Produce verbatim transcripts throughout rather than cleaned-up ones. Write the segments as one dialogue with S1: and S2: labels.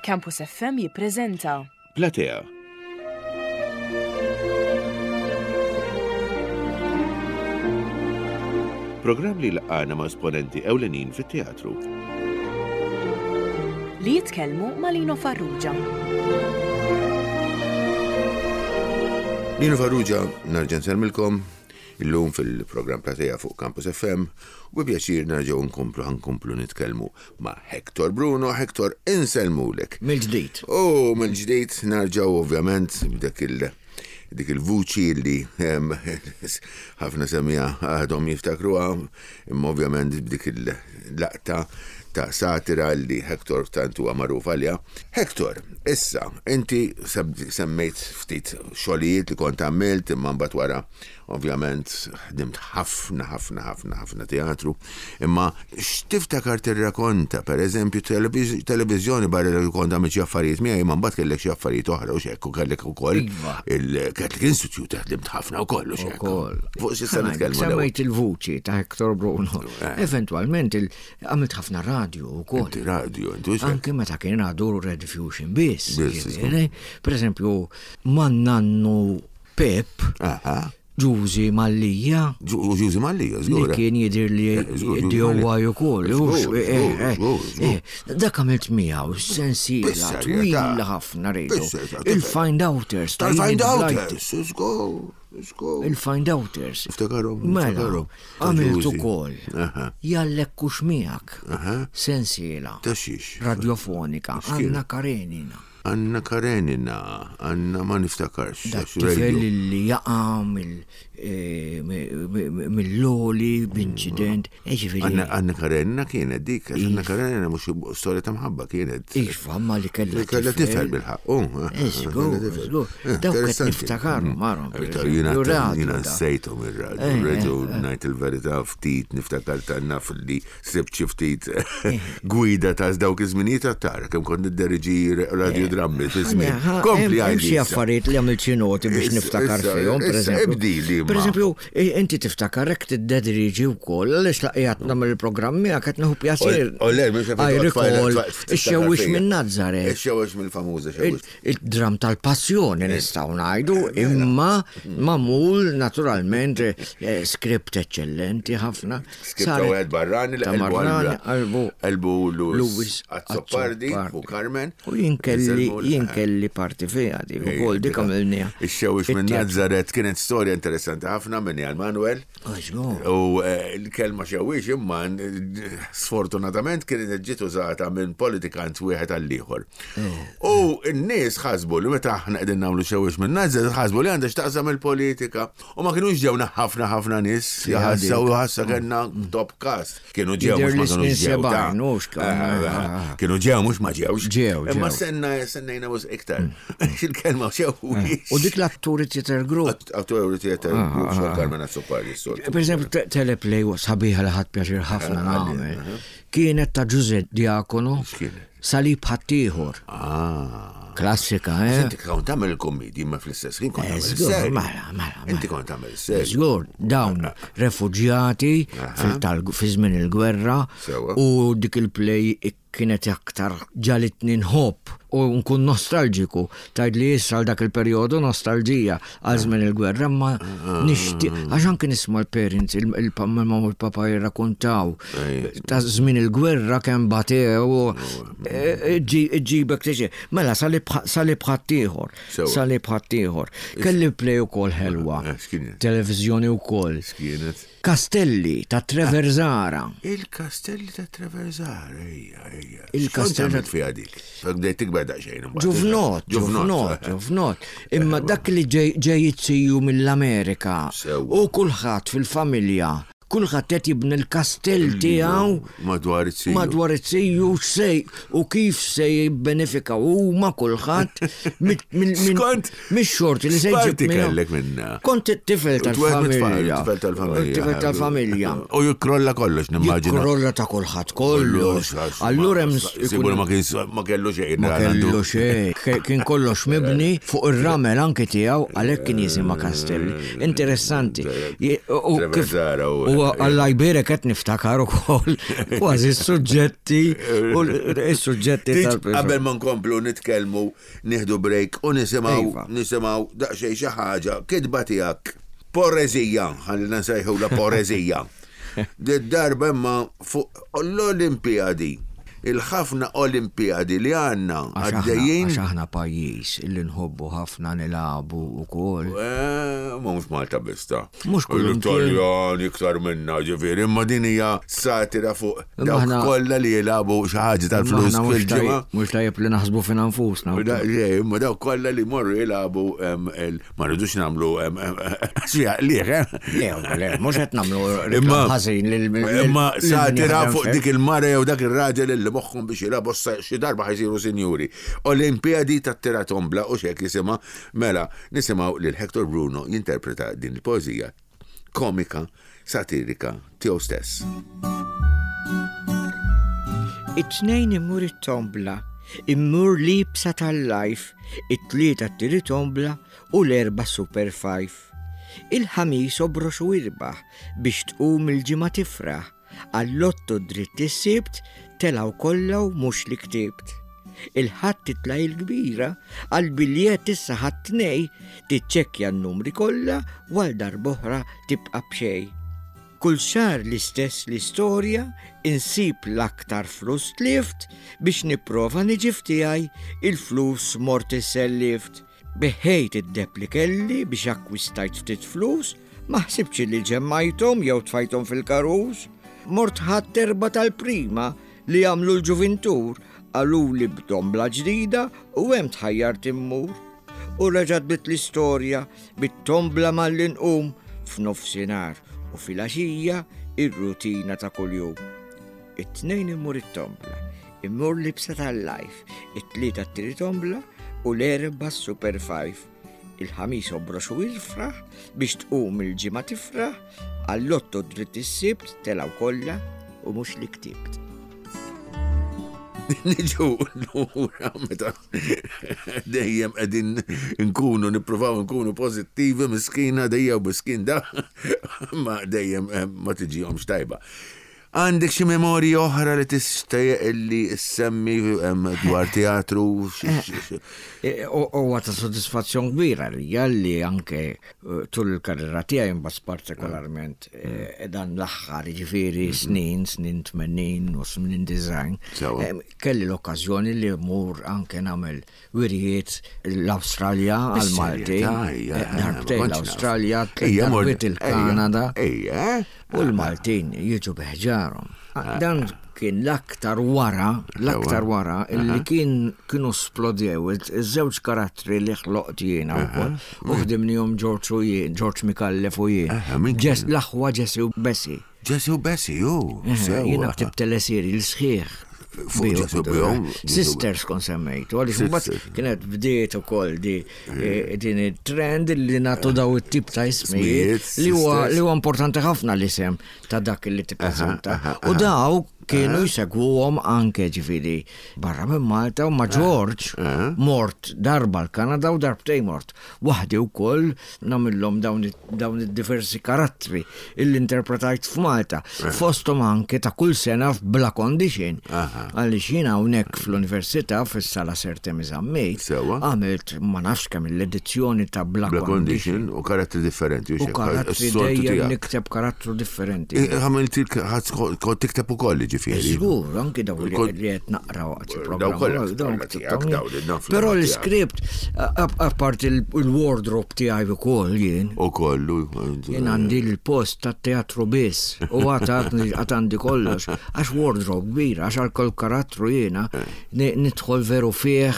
S1: Campus F M jippreżenta
S2: Platea. Programm li laqana ma' esponenti ewlenin fit-teatru.
S1: Li jitkellmu ma' Lino Farrugia.
S2: Lino Farrugia, nerġa' nsellmilkom illum fil-programm Platea fuq Campus F M u bi pjaċir nerġgħu nkomplu ħankomplu nitkellmu ma' Hector Bruno. Hector, insellmulek.
S3: Mill-ġdid.
S2: U mill-ġdid nerġgħu ovvjament b'dak il- dik il-vuċi li em, ħafna semmiegħa għadhom jiftakruha, imma ovvjament b'dik il-laqta ta' satira li Hector tant huwa magħruf għaliha. Hector, issa, inti seb- semmejt ftit xogħlijiet li kont għamilt, imma mbagħad wara ovvjament ħdimt ħafna, ħafna, ħafna, ħafna teatru, imma x'tiftakar tirrakonta, per eżempju, televiz- televiżjoni barra li kont għamilt xi affarijiet miegħi, imma mbagħad kellek xi affarijiet oħra u x'hekk u kellek ukoll
S3: Iva.
S2: il-Catholic Institute ħdimt ħafna wkoll u x'hekk.
S3: Ukoll.
S2: Fuq xi nitkellmu l-ewwel?
S3: Semmejt il-vuċi ta' Hector Bruno.
S2: Eh.
S3: Eventualment il- għamilt ħafna radio ukoll.
S2: Inti radio, inti x'hekk.
S3: Anke meta kien għadu Rediffusion biss.
S2: Biss,
S3: Ġifieri, per eżempju, man nannu Pep,
S2: Aha.
S3: Ġużi Mallija,
S2: Ġużi Mallija,
S3: li
S2: żgur.
S3: kien jidir li
S2: Eh, żgur, Ġużi
S3: D O I
S2: Mallia.
S3: ukoll.
S2: Żgur,
S3: hux, eh,
S2: żgur,
S3: eh,
S2: żgur, żgur.
S3: eh, Dak għamilt miegħu sensiela
S2: Bis-serjetà.
S3: twila ħafna rejdu.
S2: Bis-serjetà.
S3: Il-Find Outers. ta'
S2: Tal-Find
S3: Enid Blyton.
S2: Outers, żgur, żgur.
S3: Il-Find Outers.
S2: Niftakarhom,
S3: Mela,
S2: niftakarhom. Ta'
S3: għamilt
S2: Ġużi.
S3: ukoll.
S2: Aha.
S3: Jallek kux miegħek.
S2: Aha.
S3: Sensiela.
S2: Ta' xiex?
S3: Radiofonika.
S2: X'kien?
S3: Anna Karenina.
S2: Anna Karenina, Anna ma niftakarx.
S3: Da
S2: għax
S3: tifel
S2: radio.
S3: li jaqa mill- eh, mi- mi- mill-għoli b'inċident. Eh, ġifieri,
S2: Anna Anna Karenina kienet dik, għax Anna Karenina mhux storja ta' mħabba kienet.
S3: Iva, ma li kella
S2: Kella tifel bil-ħaq. oh,
S3: Eh, żgur, żgur. Dawk qed niftakarhom, marhom, per eżempju,
S2: Jiena
S3: radio
S2: jiena
S3: da.
S2: nsejthom ir-radio.
S3: Eh,
S2: Radio
S3: eh,
S2: ngħid il-verità ftit niftakar ta' naf li sibt xi ftit gwida ta' dawk iż-żminijiet tara kemm kont nidderiġi radiodrammi fi żmien. Kompli
S3: Hemm xi
S2: għajdi.
S3: affarijiet li għamilt xi noti biex
S2: Issa,
S3: niftakar
S2: issa,
S3: fihom, per
S2: issa,
S3: eżempju.
S2: ibdili,
S3: Per
S2: ma.
S3: eżempju, eh, inti tiftakar hekk tiddedriġi wkoll, għaliex laqjat nagħmel il-programmi għak qed nieħu pjaċir.
S2: O le, mhux
S3: I recall, ix-xewwix minn Nazareth.
S2: Ix-xewwix mill-famuża xewwix.
S3: Il-dram tal-passjoni nistgħu ngħidu, imma magħmul naturalment eh, skript eċċellenti ħafna.
S2: Skript ta'
S3: Saret-
S2: wieħed barrani li
S3: ta'
S2: qalbu
S3: Barrani, qalbu
S2: qalbu Louis
S3: Louis
S2: Azzopardi u Carmen.
S3: U jien kelli
S2: Insellmu-
S3: jien kelli parti fiha di ukoll dik għamilniha.
S2: Ix-xewwix minn Nazareth kienet storja interessanti ħafna minn għal Manuel. U eh, l-kelma xewwix imma eh, sfortunatament kienet ġiet użata minn politikant wieħed għall ieħor. U n-nies ħasbu li meta aħna qegħdin nagħmlu xewwix minn Nazareth ħasbu li għandha x'taqsam il-politika. U ma kinux ġewna ħafna ħafna nies jaħassaw ħassa kellna top cast. Kienu ġew
S3: Jidher
S2: mhux ma
S3: li
S2: kinux
S3: snin
S2: ġew. ta'
S3: sebgħin, hux kan-
S2: Eh, eh, Kienu ġew mhux ma ġewx.
S3: Ġew,
S2: Imma
S3: ġew.
S2: senna sennejna mhux iktar. Il-kelma xewwix.
S3: U dik l-atturi theater group.
S2: Atturi theater group xogħol Carmen Azzopardi s-soltu.
S3: Per eżempju, te- teleplay sabiħa li ħadt pjaċir ħafna nagħmel. Kienet ta' Ġuże Diakono.
S2: X'kienet?
S3: Salib ħaddieħor.
S2: Ah.
S3: Klassika, eh?
S2: Inti kont tagħmel il-kommedji imma fl-istess ħin kont
S3: Eh,
S2: tagħmel
S3: żgur,
S2: is-serji.
S3: mela, mela,
S2: Inti
S3: mela.
S2: kont tagħmel is-serji.
S3: Żgur, dawn refuġjati fil-tal- fi żmien il-gwerra
S2: Sewa.
S3: u dik il-play kienet aktar ġalitni nħobb u nkun nostalġiku. Tgħid li issa għal dak il-perjodu nostalġija għal żmien il-gwerra, ma nixtieq għax anke nisma' l-parents, il-mamma u l-papa jirrakkontaw ta' żmien il-gwerra kemm batew u ġibek tiġi. Mela salib ħaddieħor,
S2: Sewa.
S3: salib ħaddieħor. Kelli play ukoll ħelwa.
S2: Eh, x'kienet?
S3: Televizjoni wkoll.
S2: X'kienet?
S3: Castelli ta' Traversara.
S2: Il-Kastelli ta' Traversara, ejja, ejja.
S3: Il-Kastelli
S2: X'kont fiha dik? Bdejt tikber daqsxejn imbagħad.
S3: Ġuvnot, ġuvnot, ġuvnot. Imma dak li ġej ġej jitziju mill-Amerika
S2: Sewwa.
S3: u kulħadd fil-familja, kulħadd qed jibni l-kastell tiegħu
S2: Madwar it-siju.
S3: madwar it-siju sej u kif se jibbenefika huma kulħadd
S2: Skont,
S3: mix-xorti li se jġib
S2: X'parti
S3: minnu.
S2: kellek minna?
S3: Kont it-tifel tal-familja.
S2: Tifel tal-familja.
S3: Tifel tal-familja.
S2: U jikrolla kollox, nimmaġina.
S3: Jikrolla ta' kulħadd kollox. Allura hemm
S2: Sigur ma kien ma kellu xejn.
S3: Ma kellu xejn. Ke- Kien kollox mibni fuq ir-ramel anki tiegħu, għalhekk kien jisimha Castelli. Interessanti. Je- U kif
S2: Traversara u-
S3: u U Alla jbierek qed niftakar ukoll kważi s-suġġetti u s-suġġetti
S2: Tiġ-
S3: tal
S2: Qabel ma nkomplu nitkellmu, nieħdu break u nisimgħu
S3: Iva.
S2: nisimgħu daqsxejn xi ħaġa kitba tiegħek. Poreżija, ħalli nsejħula poreżija. Darba imma fuq l-Olimpijadi, il-ħafna Olimpijadi li għandna
S3: Għax aħna-
S2: għaddejjin.
S3: għax aħna pajjiż illi nħobbu ħafna nilagħbu ukoll.
S2: Eh, Ma mhux Malta biss ta.
S3: Mhux kull
S2: L-Italjan iktar minna ġifieri, imma din hija satira fuq
S3: Imma
S2: dawk
S3: aħna-
S2: kollha li jilagħbu xi ħaġa tal-flus
S3: Aħna mhux
S2: fil-ġimgħa.
S3: tajjeb- Mhux tajjeb li naħsbu fina nfusna.
S2: U da- le, Imma dawk kollha li morru jilagħbu em, il- ma rridux nagħmlu em, em, xi liħ, eh?
S3: Le, le, mhux qed nagħmlu
S2: Imma
S3: reklam ħażin lil lil-
S2: Imma
S3: lil min
S2: satira
S3: jaħdem
S2: fuq
S3: fih.
S2: dik il-mara jew dak ir-raġel li moħħhom biex jilagħbu sa- xi darba ħajsiru sinjuri. Olimpijadi tat-tiratombla u xek jisimha mela nisimgħu lil Hector Bruno jinterpreta din il-poeżija komika satirika tiegħu stess.
S3: It-tnejn immur it-tombla, immur libsa tal-life, it-tlieta t-tiri tombla u l-erba super five. Il-ħamis obrox u irbaħ biex tqum il-ġimgħa tifraħ, għall-lotto dritt is-sibt telaw kollha u mhux li ktibt. Il-ħadd titla' il-kbira, għal-biljett issa ħadd tnej, tiċċekkja n-numri kollha u għal darb'oħra tibqa' b'xejn. Kull xahar l-istess l-istorja, insib l-aktar flus tlift biex nipprova niġi f'tiegħi il-flus mort issellift. Beħejt id-deb li kelli biex akkwistajt ftit flus, ma ħsibx li ġemmajthom jew tfajthom fil-karus. Mort ħadd erba tal-prima li għamlu l-ġuvintur, qaluli b'dombla ġdida u hemm tħajjart immur u reġgħet bit l-istorja bit-tombla malli nqum f'nofsinhar u filgħaxija ir-rutina ta' kuljum. It-tnejn immur it-tombla, immur libsa tal-life, it-tlieta t-tiri tombla u l-erba super five. Il-ħamis obrox u irfraħ biex tqum il-ġimgħa tifraħ, għall-lotto dritt is-sibt telaw kollha u mhux li ktibt.
S2: Niġu lura meta dejjem qegħdin nkunu nippruvaw nkunu pożittivi miskina dejjem u miskin da ma dejjem eh, ma tiġihomx tajba. Għandek xi memorji oħra li tixtieq illi ssemmi em, dwar teatru? xi- xi- xi-
S3: E, Huwa ta' soddisfazzjon kbira li li anke eh, tul il-karriera tiegħi imbagħad partikolarment eh, dan l-aħħar jiġifieri snin, snin tmenin u snin disgħin.
S2: Sewa.
S3: eh, Kelli l-okkażjoni li mmur anke nagħmel wirjiet l-Awstralja għal-Malti.
S2: Bis-serjetà, ejja,
S3: Eh,
S2: ma
S3: Darbtejn
S2: kontx naf.
S3: l-Awstralja, tliet
S2: Ejja, mort-
S3: darbiet il-Kanada.
S2: Ejja, eh?
S3: U l-Maltin jiġu biħġarhom. Dan kien l-aktar wara, l-aktar wara, illi kien kienu splodew iż-żewġ karattri li ħloqt jiena wkoll. U ħdimnihom George u jien, George Micallef u jien.
S2: Aha, min kien?
S3: Ġes- L-aħwa Jesse u Bessie.
S2: Jesse u Bessie, ju. sewa.
S3: Jiena ktibt teleserje l-sħiħ.
S2: Fuq Jesse u bihom?
S3: Sisters kon semmejtu, għaliex mbagħad
S2: Sisters.
S3: kienet bdiet ukoll di eh, din it-trend li nagħtu daw it-tip ta' ismijiet
S2: Ismijiet,
S3: li huwa
S2: sisters.
S3: li huwa importanti ħafna l-isem ta' dak li tippreżenta. U daw kienu jsegwuhom anke ġifieri barra minn Malta u ma' George mort darba l-Kanada u darbtejn mort. Waħdi wkoll nagħmilhom dawn it- dawn id-diversi karattri illi interpretajt f'Malta. Fosthom anke ta' kull sena f'Bla Condition. Għaliex jiena hawnhekk fl-Università fis-sala Sir Temi Zammit
S2: Sewa.
S3: għamilt ma nafx kemm l-edizzjoni ta' Bla
S2: Bla
S3: Condition.
S2: condition u karattri differenti.
S3: U
S2: xek,
S3: karattri
S2: s-soltu
S3: dejjem
S2: tiegħek.
S3: nikteb karattru differenti.
S2: Eh, Għamilt kont tikteb ukoll ġifieri.
S3: Żgur, anki daw li
S2: Kont-
S3: li qed naqra waqt
S2: Daw
S3: il-programm.
S2: kollha
S3: dawn
S2: kollha tiegħek,
S3: ktibthom
S2: daw
S3: jien.
S2: li naf
S3: Però
S2: li
S3: l-iskript, apart il-wardrobe tiegħi wkoll jien,
S2: U kollu.
S3: jien għandi l-post tat teatru biss u għad għad għandi kollox, għax wardrobe kbira, għax għal kull karattru jiena ni- nidħol veru fih.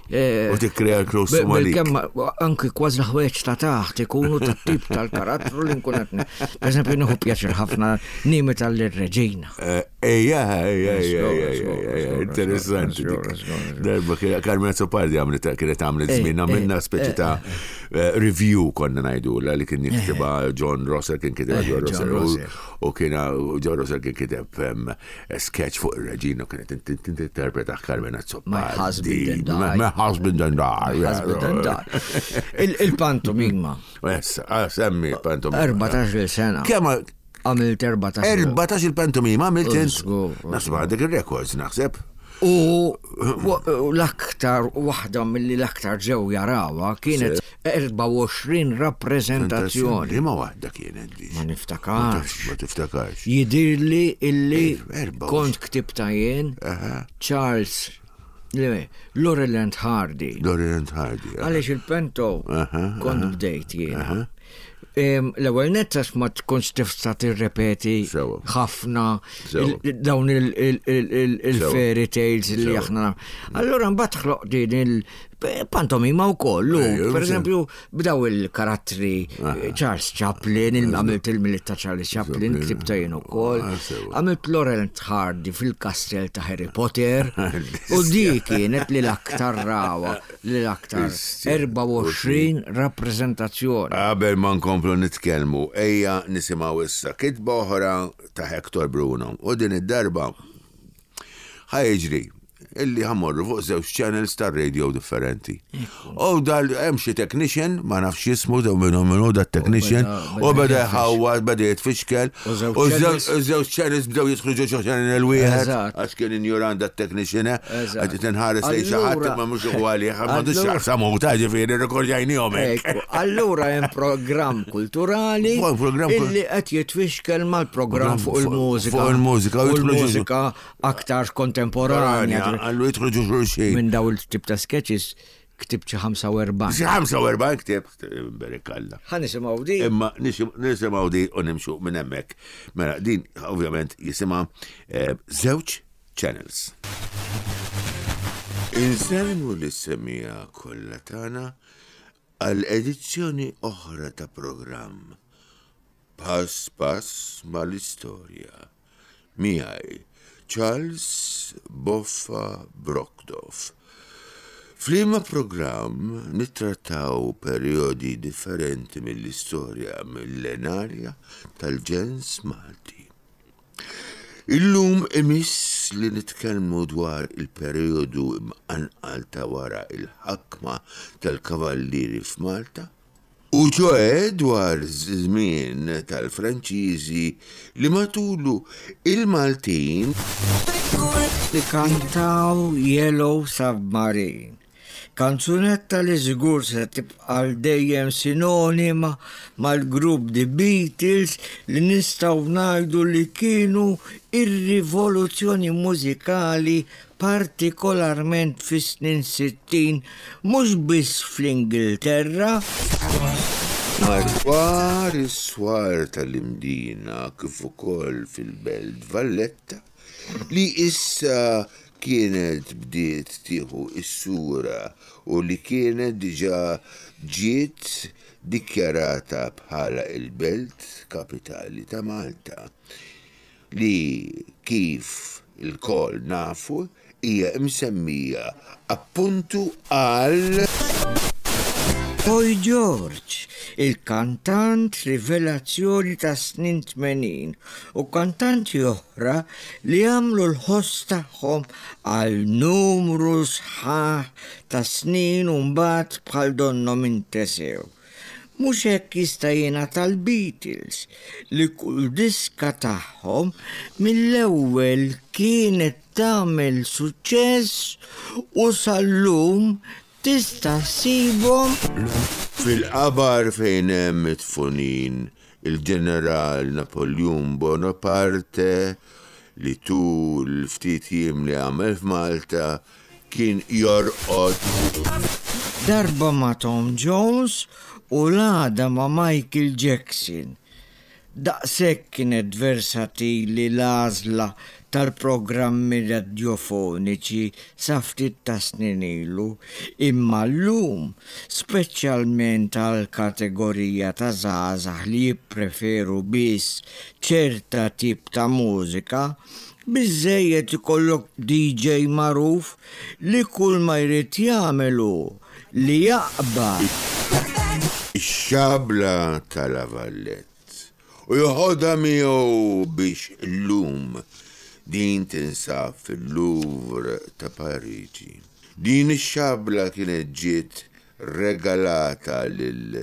S3: eh,
S2: U tikkrea l-close
S3: Be-
S2: to Malik.
S3: Bilkemm anki kważi l-ħwejjeġ ta' taħt ikunu ta' tip tal-karattru li nkun qed. Per eżempju, nieħu pjaċir ħafna nimita lir-reġina.
S2: Eh, Ejja, ejja, ejja,
S3: Żgur,
S2: ejja,
S3: żgur,
S2: ejja,
S3: żgur,
S2: interessanti
S3: żgur,
S2: dik.
S3: żgur, żgur.
S2: Darba kien- Carmen Azzopardi għamlet kienet għamlet
S3: Eh,
S2: żmien, għamilna
S3: eh,
S2: speċi ta' eh, review konna ngħidula li kien jiktibha John Rosser kien kitibha
S3: Eh,
S2: John
S3: John
S2: Rosser u-
S3: Rosser.
S2: u kien u John Rosser kien kiteb em, sketch fuq ir-reġina u kienet tinterpreta Carmen Azzopardi.
S3: My husband and I.
S2: My husband and I.
S3: My husband and I. Il- Il-pantomima,
S2: Essa, ah, semmi pantomima.
S3: erbatax-il sena.
S2: Kemm
S3: Għamilt erbatax.
S2: Erbatax il-pantomima għamilt int.
S3: Żgur,
S2: Naħseb għandek il-records, naħseb.
S3: U u l-aktar, waħda mill-li l-aktar ġew jarawha kienet erbgħa u għoxrin rappreżentazzjoni.
S2: Liema waħda kienet di?
S3: Ma niftakarx.
S2: Ma tiftakarx.
S3: Jidirli illi
S2: Erba'
S3: kont ktibta jien
S2: Aha.
S3: Charles, le, Laurel and Hardy.
S2: Laurel and Hardy. aha.
S3: Għaliex il-pento
S2: Aha,
S3: kont bdejt jiena. Em, L-ewwel nett għax ma tkunx tista' tirrepeti
S2: Sewa.
S3: ħafna
S2: Sewa.
S3: il- dawn il- il- il- il- il-fairy tales li
S2: Sewa.
S3: aħna. Allura mbagħad ħloq din il-pantomima wkoll. u,
S2: Ejja,
S3: Per eżempju, b'daw il-karattri Charles Chaplin, il- għamilt il-Milied ta' Charles Chaplin,
S2: Chaplin.
S3: ktibta jien ukoll.
S2: Ah, sewa.
S3: Għamilt Laurel and Hardy fil-kastell ta' Harry Potter. U di kienet li l-aktar rawa, li l-aktar
S2: Istja.
S3: erbgħa u għoxrin rappreżentazzjoni.
S2: Qabel ma nkomplu nitkellmu, ejja nisimgħu issa kitba oħra ta' Hector Bruno. U din id-darba ħa jiġri illi ħa mmorru fuq żewġ channels tar radio differenti. U dal hemm xi technician, ma nafx jismu daw minnu minnu da technician,
S3: beda-
S2: u beda
S3: beda
S2: jħawwad, beda jitfixkel,
S3: U żewġ
S2: u żewġ
S3: channels-
S2: u żewġ channels bdew jidħlu ġo xi channel wieħed,
S3: Eżatt.
S2: għax kien injorant da technician,
S3: Eżatt.
S2: għad tinħares lejn xi ħadd
S3: Allura-
S2: ma mhux ugwali, m'għandux
S3: Allura-
S2: x'jaqsam hu ta' ġifieri rrekordjajnihom hekk.
S3: Ekku, allura hemm programm kulturali
S2: Fuq programm kul-
S3: illi qed jitfixkel mal-programm fuq il-mużika.
S2: Fuq il-mużika, u
S3: U
S2: jidħlu ġo-
S3: l-mużika aktar kontemporanja.
S2: Għallu jidħlu ġo xulxin.
S3: Minn daw il-tip ta' sketches ktibt xi ħamsa u erbgħin.
S2: Xi ħamsa u erbgħin ktibt, berik Alla.
S3: Ħa nisimgħu di.
S2: Imma nisim- nisimgħu di u nimxu minn hemmhekk. Mela din ovvjament jisimha eh, żewġ channels. Insellmu lis-semmiegħa kollha tagħna għal edizzjoni oħra ta' programm Pass Pass mal-Istorja. Miegħi Charles Boffa Brockdorff. F'liema programm nittrattaw periodi differenti mill-istorja millenarja tal-ġens Malti. Illum imiss li nitkellmu dwar il-periodu imqanqal ta' wara il-ħakma tal-kavallieri f'Malta, u ċoè dwar żmien tal-Franċiżi li matulu il-Maltin
S3: Li kantaw Yellow Submarine. Kanzunetta li żgur se tibqa' għal dejjem sinonima mal-grupp The Beatles, li nistgħu ngħidu li kienu ir-rivoluzzjoni mużikali, partikolarment fis-snin sittin, mhux biss fl-Ingilterra.
S2: Madwar is-swar tal-Imdina kif ukoll fil-Belt Valletta, li issa kienet bdiet tieħu is-sura u li kienet diġà ġiet dikjarata bħala il-belt kapitali ta' Malta, li kif ilkoll nafu hija msemmija appuntu għal
S3: Boy George, il-kantant rivelazzjoni ta' snin tmenin u kantanti oħra li għamlu l-ħoss tagħhom għal numru sħaħ ta' snin u mbagħad bħal donnhom intesew. Mhux hekk jista' jingħad tal-Beatles, li kull diska tagħhom mill-ewwel kienet tagħmel suċċess u sal-lum tista' ssibhom
S2: fil-qabar fejn hemm midfunin il-ġeneral Napoleon Bonaparte, li tul ftit jiem li għamel f'Malta kien jorqod
S3: darba ma' Tom Jones u l-għada ma' Michael Jackson. Daqshekk kienet versatili l-għażla tal-programmi radiofoniċi sa ftit ta' snin ilu, imma llum, speċjalment għal kategorija ta' żgħażagħ li jippreferu biss ċerta tip ta' mużika, biżejjed ikollok D J magħruf li kull ma jrid jagħmel hu li jaqbad
S2: ix-xabla ta' La Valette u joħodha miegħu biex illum din tinsab fil-Louvre ta' Pariġi. Din ix-xabla kienet ġiet regalata lil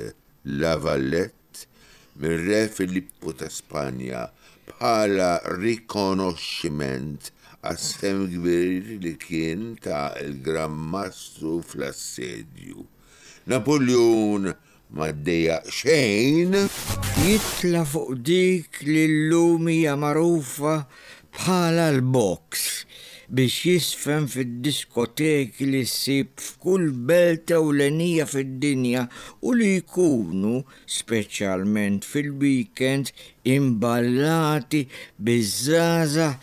S2: La Valette mir-Re Filippu ta' Spanja bħala rikonoxximent għas-sehem kbir li kien ta l-Gran Mastru fl-assedju. Napoleon ma ddejjaq xejn.
S3: Jitla' fuq dik li llum hija magħrufa bħala l-box biex jiżfen fid-diskoteki li ssib f'kull belt ewlenija fid-dinja u li jkunu, speċjalment fil-weekend, imballati biż-żgħażagħ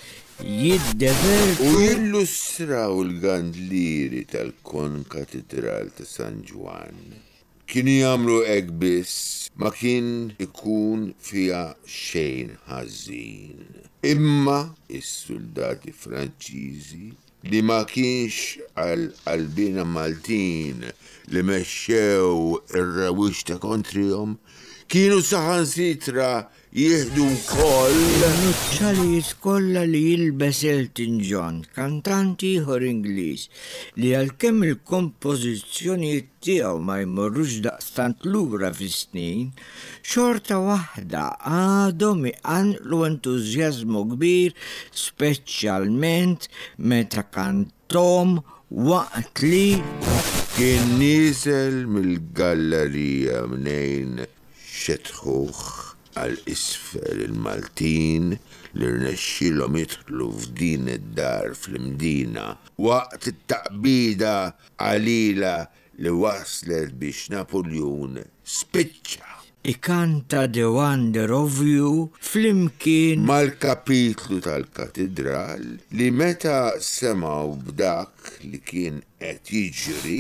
S3: jiddevertu.
S2: U jillustraw il-gandlieri tal-Konkatidral ta' San Ġwann. Kienu jagħmlu hekk biss, ma kien ikun fiha xejn ħażin. Imma is-soldati Franċiżi li ma kienx għal qalbina Maltin li mexxew ir-rewwixta kontrihom kienu saħansitra jieħdu wkoll
S3: Il-nuċċalijiet kollha li jilbes Elton John, kantant ieħor Ingliż, li għalkemm il-kompożizzjonijiet tiegħu ma jmorrux daqstant lura fis-snin, xorta waħda għadhom iqanqlu entużjażmu kbir, speċjalment meta kantahom waqt li
S2: kien nieżel mill-gallerija mnejn xetħuh għal isfel il-Maltin li rnexxilhom jidħlu f'din id-dar fl-Imdina waqt it-taqbida qalila li waslet biex Napoleon spiċċa
S3: ikanta The Wonder of You flimkien
S2: mal-kapitlu tal-katedral li meta semgħu b'dak li kien qed jiġri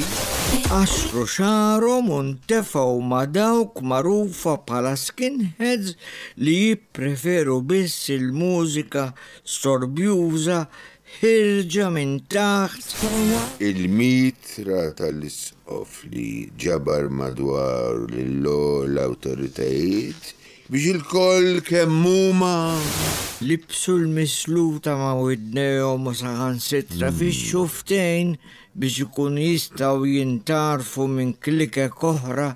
S3: qassru xagħarhom u ntefgħu ma' dawk magħrufa bħala skinheads li jippreferu biss il-mużika storbjuża ħierġa minn taħt
S2: il-mitra tal-isqof li ġabar madwar l-awtoritajiet biex ilkoll kemm huma
S3: libsu l-misluta ma' widnejhom u saħansitra fix-xufftejn biex ikunu jistgħu jintgħarfu minn klikek oħra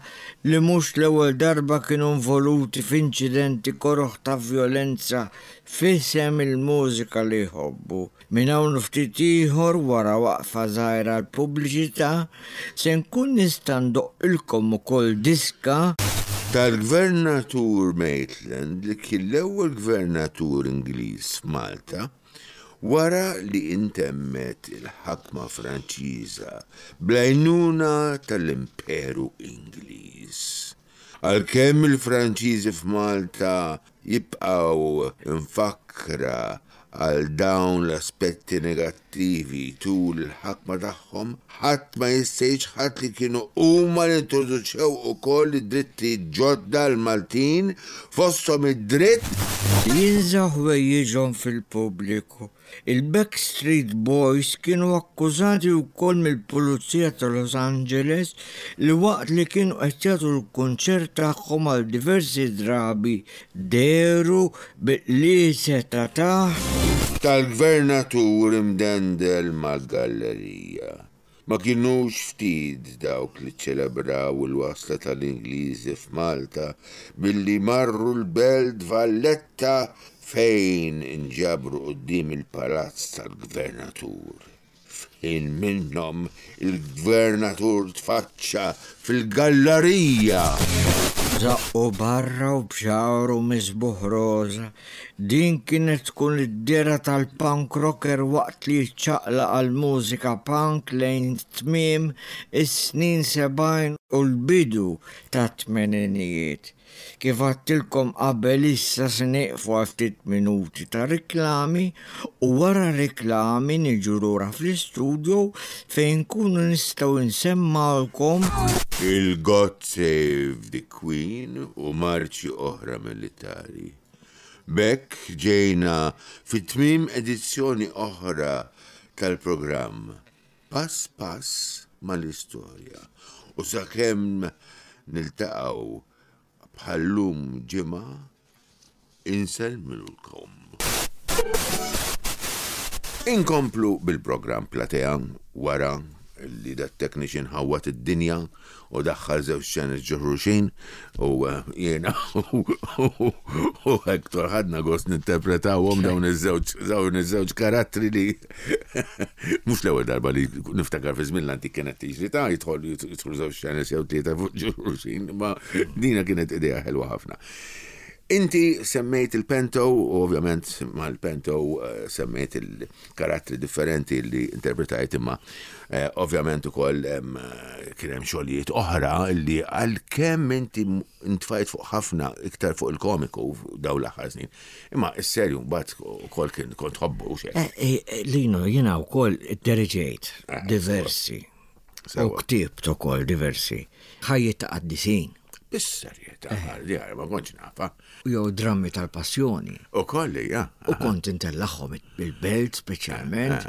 S3: li mhux l-ewwel darba kienu involuti f'inċidenti koroh ta' vjolenza f'isem il-mużika li jħobbu. Minn hawn ftit ieħor, wara waqfa żgħira l-pubbliċità, se nkun nista' ndoqqilkom ukoll diska
S2: tal-gvernatur Maitland, li kien l-ewwel gvernatur Ingliż f'Malta wara li intemmet il-ħakma Franċiża bl-għajnuna tal-Imperu Ingliż. Għalkemm il-Franċiżi f'Malta jibqgħu mfakkra għal dawn l-aspetti negattivi tul il-ħakma tagħhom, ħadd ma jista' jiċħad li kienu huma li introduċew ukoll id-drittijiet ġodda l-Maltin, fosthom id-dritt
S3: jinżgħu ħwejjiġhom fil-pubbliku. Il-Backstreet Boys kienu akkużati wkoll mill-Pulizija ta' Los Angeles li waqt li kienu qed jagħtu l-kunċert tagħhom għal diversi drabi dehru bi qliezet ta' taħt
S2: tal-gvernatur imdendel mal-gallerija. Ma kienux ftit dawk li ċelebraw il-wasla tal-Ingliżi f'Malta billi marru l-Belt Valletta fejn inġabru quddiem il-palazz tal-gvernatur. F'ħin minnhom il-gvernatur tfaċċa fil-gallerija.
S3: Żaqqu barra u b'xagħru miżbugħ roża. Din kienet tkun id-dehra tal-punk rocker waqt li ċċaqlaq għal mużika punk lejn tmiem is-snin sebgħin u l-bidu tat-tmeninijiet. Kif għedtilkom qabel, issa se nieqfu għal ftit minuti ta' riklami u wara riklami niġu lura fl-istudio fejn nkunu nistgħu nsemmgħulkom
S2: il-God Save the Queen u marċi oħra militari. B'hekk ġejna fit tmim edizzjoni oħra tal-programm Pass Pass mal-Istorja, u sakemm niltaqgħu bħal-lum ġimgħa, insellmilkom. Inkomplu bil-programm Platea wara li dat technician ħawwad id-dinja u daħħal żewġ xeni ġo xulxin u eh, jiena u Hector ħadna gost ninterpretawhom dawn iż-żewġ dawn iż-żewġ karattri li mhux l-ewwel darba li niftakar fi żmien l-antik kienet tiġri ta' jidħol jidħol żewġ xeni jew tlieta fuq ġo xulxin, ma dina kienet idea ħelwa ħafna. Inti semmejt il-Pento, u ovvjament mal-Pento eh, semmejt il-karattri differenti li interpretajt imma eh, ovvjament ukoll em, eh, kien hemm xogħlijiet oħra li għalkemm inti intfajt fuq ħafna iktar fuq il-komiku daw l-aħħar snin. Imma is-serju mbagħad ukoll kien kont tħobbu u xejn.
S3: Eh, eh, Lino, jiena wkoll ddirigejt diversi. U
S2: Sewa.
S3: ktibt ukoll diversi. Ħajjiet ta' qaddisin.
S2: Bis-serjetà, di ma kontx nafa.
S3: Jew drammi tal-passjoni.
S2: U kolli, ja.
S3: U kont intellagħhom il-belt speċjalment.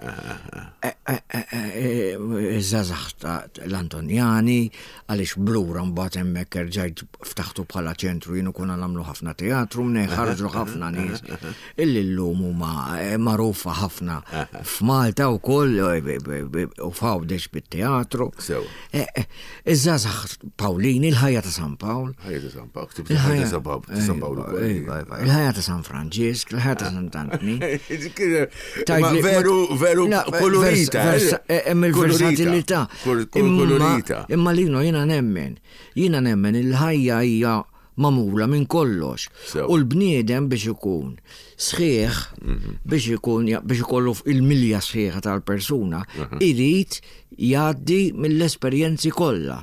S3: Eh, eh, eh, eh, Iż-żgħażagħ ta' l-Antonjani, għaliex blura mbagħad hemmhekk erġajt ftaħtu bħala ċentru jienu konna nagħmlu ħafna teatru, mnej ħarġu ħafna nies. Illi llum huma eh, magħrufa ħafna f'Malta wkoll eh, b- b- b- u f'Għawdex bit-teatru.
S2: Sew.
S3: Eh, eh, Iż-żgħażagħ Pawlini, il-ħajja ta' San Pawl.
S2: Ħajja ta' San Pawl, ktibt ħajja ta' San Pawl, ta' San Pawl ukoll.
S3: Iva, iva, Il-ħajja ta' San Franġisk, il-ħajja ta' Sant'Antni.
S2: Ma
S3: Tgħidli-
S2: veru, veru
S3: La,
S2: kolorita.
S3: vers- vers- eh, Hemm il-versatilità.
S2: Kol- kol-
S3: Imma-
S2: Kolorita.
S3: Imma Lino jiena nemmen. Jiena nemmen il-ħajja hija magħmula minn kollox.
S2: Sew.
S3: U l-bniedem biex ikun sħiħ, biex ikun biex ikollu il-milja sħiħa tal-persuna, irid jgħaddi mill-esperjenzi kollha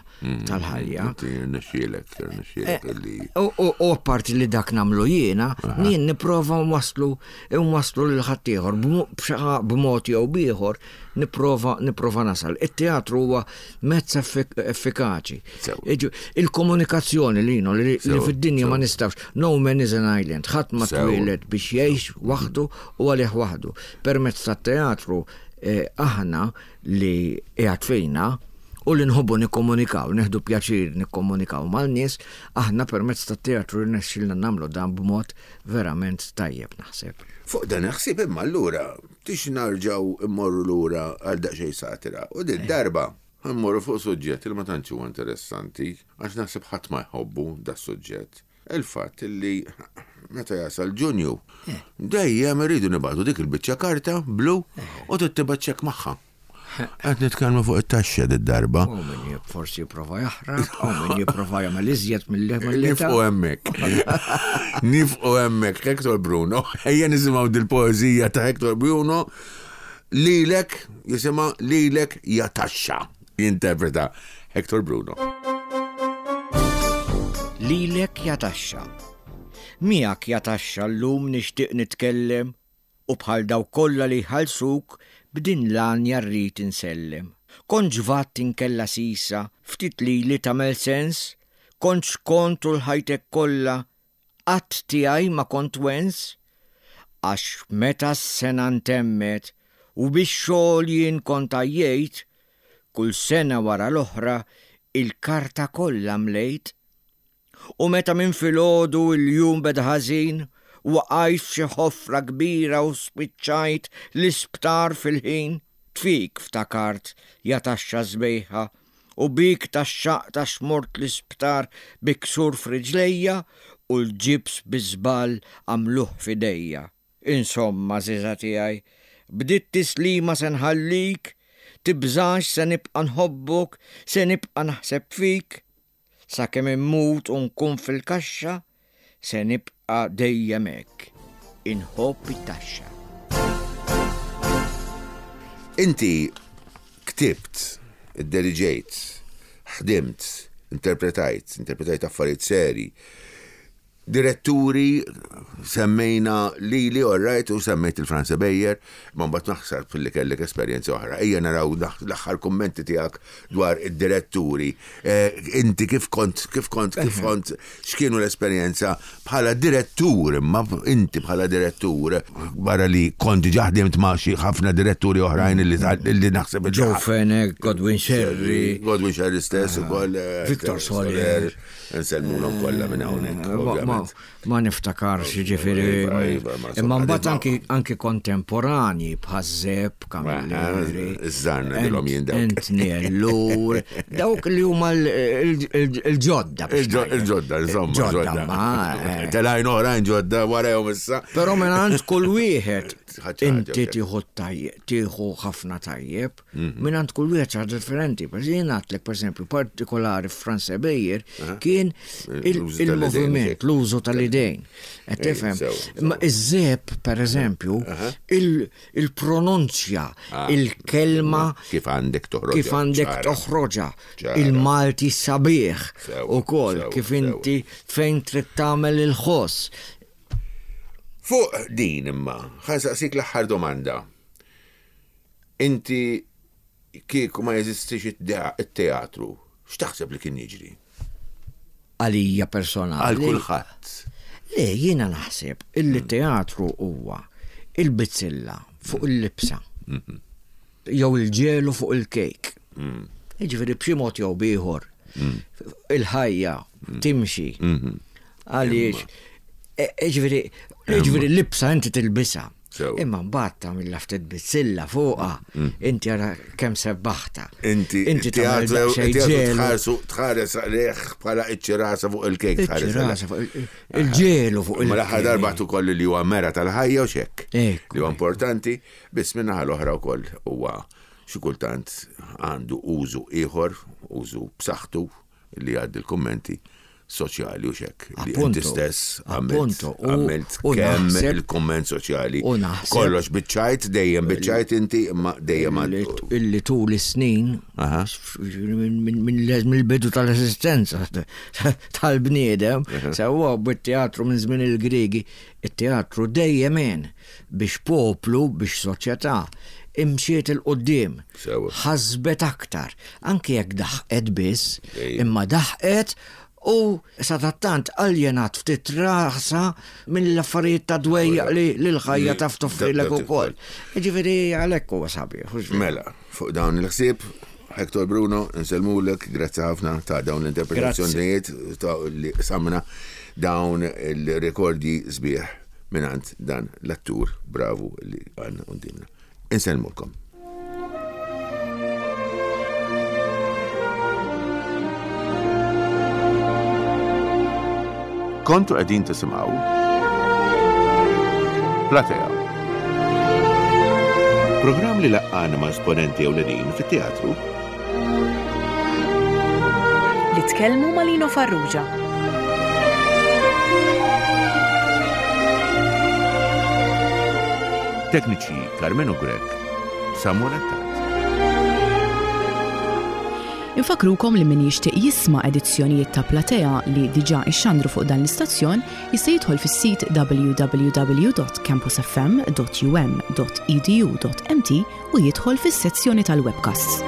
S3: tal-ħajja.
S2: Inti rnexxielek, rnexxielek li.
S3: U, u, u apparti li dak nagħmlu jiena, jien nipprova nwaslu nwaslu lil ħaddieħor b'mo- b'xi- b'mod jew b'ieħor nipprova nipprova nasal. Il-teatru huwa mezz effik effikaċi.
S2: Sew.
S3: Iġu- Il-komunikazzjoni li li, li
S2: Sew,
S3: fid-dinja ma
S2: sew.
S3: nistax. No man is an island. Ħadd ma
S2: Sew.
S3: twieled biex jgħix waħdu u għalih waħdu. Permezz tat-teatru eh, aħna li qiegħed fejna u li nħobbu nikkomunikaw, nieħdu pjaċir nikkomunikaw mal-nies, aħna permezz tat-teatru rnexxilna nagħmlu dan b'mod verament tajjeb naħseb.
S2: Fuq dan ħsieb imma allura tix narġaw immorru lura għal daqsxejn satira. U din darba mmorru fuq suġġett li ma tantx huwa interessanti għax naħseb ħadd ma jħobbu da suġġett. Il-fatt li meta jasal Ġunju dejjem irridu nibagħtu dik il-biċċa karta blu u tittibat ċekk magħha. Qed nitkellmu fuq it-taxxa did-darba.
S3: U min jib- forsi jipprova jaħrab, u min jipprova jagħmel iżjed mill-li
S2: Nifqu hemmhekk. Nifqu hemmhekk Hector Bruno. Ejja nisimgħu dil-poeżija ta' Hector Bruno. Lilek jisimha Lilek ja taxxa. Jinterpreta Hector Bruno.
S3: Lilek ja taxxa. Miegħek ja taxxa llum nixtieq nitkellem u bħal daw kollha li ħalsuk b'din l-għanja rrid insellem. Kont ġvat inkella sisa, ftit li li tagħmel sens, kont xkont u l-ħajtek kollha, qatt tiegħi ma kont wens, għax meta s-sena ntemmet u biex xogħol jien kont għajjejt, kull sena wara l-oħra il-karta kollha mlejt. U meta minn filgħodu il-jum beda ħażin, waqajt f'xi ħofra kbira u spiċċajt l-isptar fil-ħin, tfik ftakart ja taxxa sbejħa, u bik taxxaq ta' xmort l-isptar bi ksur f'riġlejja u l-ġibs bi żball għamluh f'idejja. Insomma, żiża tiegħi, bdiet tislima se nħallik, tibżax se nibqa' nħobbok, se nibqa' naħseb fik, sakemm immut u nkun fil-kaxxa, se nibqa' dejjem hekk. Inħobb it-taxxa.
S2: Inti ktibt, idderiġejt, ħdimt, interpretajt, interpretajt affarijiet seri. Diretturi semmejna lili, all right, u semmejt il-Franz Beyer, ma mbagħad naħseb fil-li kellek esperjenza oħra. Ejja naraw l-aħħar kummenti tiegħek dwar id-diretturi. Eh, Inti kif kont, kif kont, kif kont, x'kienu l-esperjenza bħala direttur, imma inti bħala direttur, barra li kont diġà ħdimt ma' xi ħafna diretturi oħrajn li li naħseb
S3: Joe Fenech, Godwin Sherry,
S2: Godwin Sherry stess ukoll. eh,
S3: Victor Soler.
S2: Nsellmulhom kollha minn hawnhekk,
S3: Ma- ma,
S2: ovvjament.
S3: ma niftakarx Ġifieri,
S2: Iva, iva, ma
S3: imma mbagħad
S2: insomma,
S3: anki anki kontemporani bħal Zepp, Camilleri.
S2: Iż-żarna dilhom jien dawk.
S3: Anthony Ellul, dawk li huma l- il- il- il-ġodda. biex
S2: Il-ġo-
S3: ngħidlek.
S2: Il-ġodda, insomma,
S3: Ġodda,
S2: ġodda.
S3: ma. eh.
S2: Telajn oħrajn ġodda warajhom issa.
S3: Però mingħand kull wieħed
S2: Ħaġa
S3: inti
S2: ħaġa,
S3: tieħu tajjeb, tieħu ħafna tajjeb,
S2: Mhm.
S3: mingħand kull wieħed xi ħaġa differenti. Per jien għedtlek pereżempju partikolari Frans Ebejer kien il-
S2: L-użu tal-idejn,
S3: il-moviment, l-użu tal-idejn. Qed
S2: Ej,
S3: tifhem?
S2: sew, sew.
S3: Ma iż-Zepp pereżempju, il- il-pronunzja, il-kelma
S2: Kif għandek toħroġ.
S3: kif għandek toħroġa,
S2: Ċara.
S3: il-Malti sabiħ
S2: Sew,
S3: u kol,
S2: sew,
S3: kif
S2: sew.
S3: inti fejn trid tagħmel il-ħoss.
S2: Fuq din imma, ħa nsaqsik l-aħħar domanda. Inti kieku ma jeżistix it-teatru, x'taħseb li kien jiġri?
S3: Għalija personali.
S2: Għal kulħadd.
S3: Le, jiena naħseb illi teatru huwa il-bizzilla fuq il-libsa. Jew il-ġelu fuq il-kejk. Jiġifieri b'xi mod jew b'ieħor. Il-ħajja timxi. Għaliex, e- jiġifieri, jiġifieri l-libsa inti tilbisha.
S2: Sew.
S3: Imma mbagħad tagħmilha ftit bizzilla fuqha, inti ara kemm sebbaħta.
S2: Inti
S3: inti tagħmel
S2: teatru
S3: daqsxejn
S2: teatru
S3: ġelu.
S2: tħarsu tħares għalih bħala iċ-ċirasa fuq il-kejk tħares għalih.
S3: Iċ-ċirasa fuq il- il-ġelu fuq
S2: Ma l-aħħar
S3: il-kejk.
S2: darba ukoll li huwa mera tal-ħajja u xekk.
S3: Ekku,
S2: Li huwa importanti, biss minnaħa l-oħra wkoll huwa xi kultant għandu użu ieħor, użu b'saħħtu li għaddi l-kummenti soċjali u xekk. Li inti
S3: Appunto,
S2: stess għamilt
S3: appunto, u-
S2: għamilt
S3: u
S2: kemm
S3: naħseb-
S2: il-kumment soċjali.
S3: u naħseb-
S2: Kollox biċċajt, dejjem biċċajt inti, imma dejjem
S3: Illi
S2: għandu.
S3: illi tul is-snin
S2: Aha.
S3: minn- minn- minn- mill-bidu tal-esistenza tal-bniedem, sewwa bit-teatru minn żmien il-Griegi, it-teatru dejjem għen biex poplu, biex soċjetà imxiet 'il quddiem
S2: Sewwa.
S3: ħasbet aktar, anke jekk daħqet biss,
S2: Ej.
S3: imma daħqet u sadattant aljenat ftit rasa mill-affarijiet ta' dwejjaq li l-ħajja taf toffrilek ukoll. Ġifieri għalhekk huwa sabiħ. hux veru?
S2: Mela, fuq dawn il-ħsieb, Hector Bruno, nsellmulek, grazzi ħafna ta' dawn l-interpretazzjonijiet ta' li samna dawn il-rekordji sbieħ mingħand dan l-attur bravu li għandna quddiemna. Insellmulkom.
S4: Kontu qegħdin tisimgħu Platea. Programm li laqqana ma' esponenti ewlenin fit-teatru
S1: Li tkellmu ma' Lino Farrugia.
S4: Tekniċi Carmenu Grek, Samuel Attard.
S5: Infakrukom li min jixtieq jisma' edizzjonijiet ta' Platea li diġà ixxandru fuq dan l-istazzjon jista' jidħol fis-sit w w w dot campusfm dot u m dot e d u dot m t u jidħol fis-sezzjoni tal-webcasts.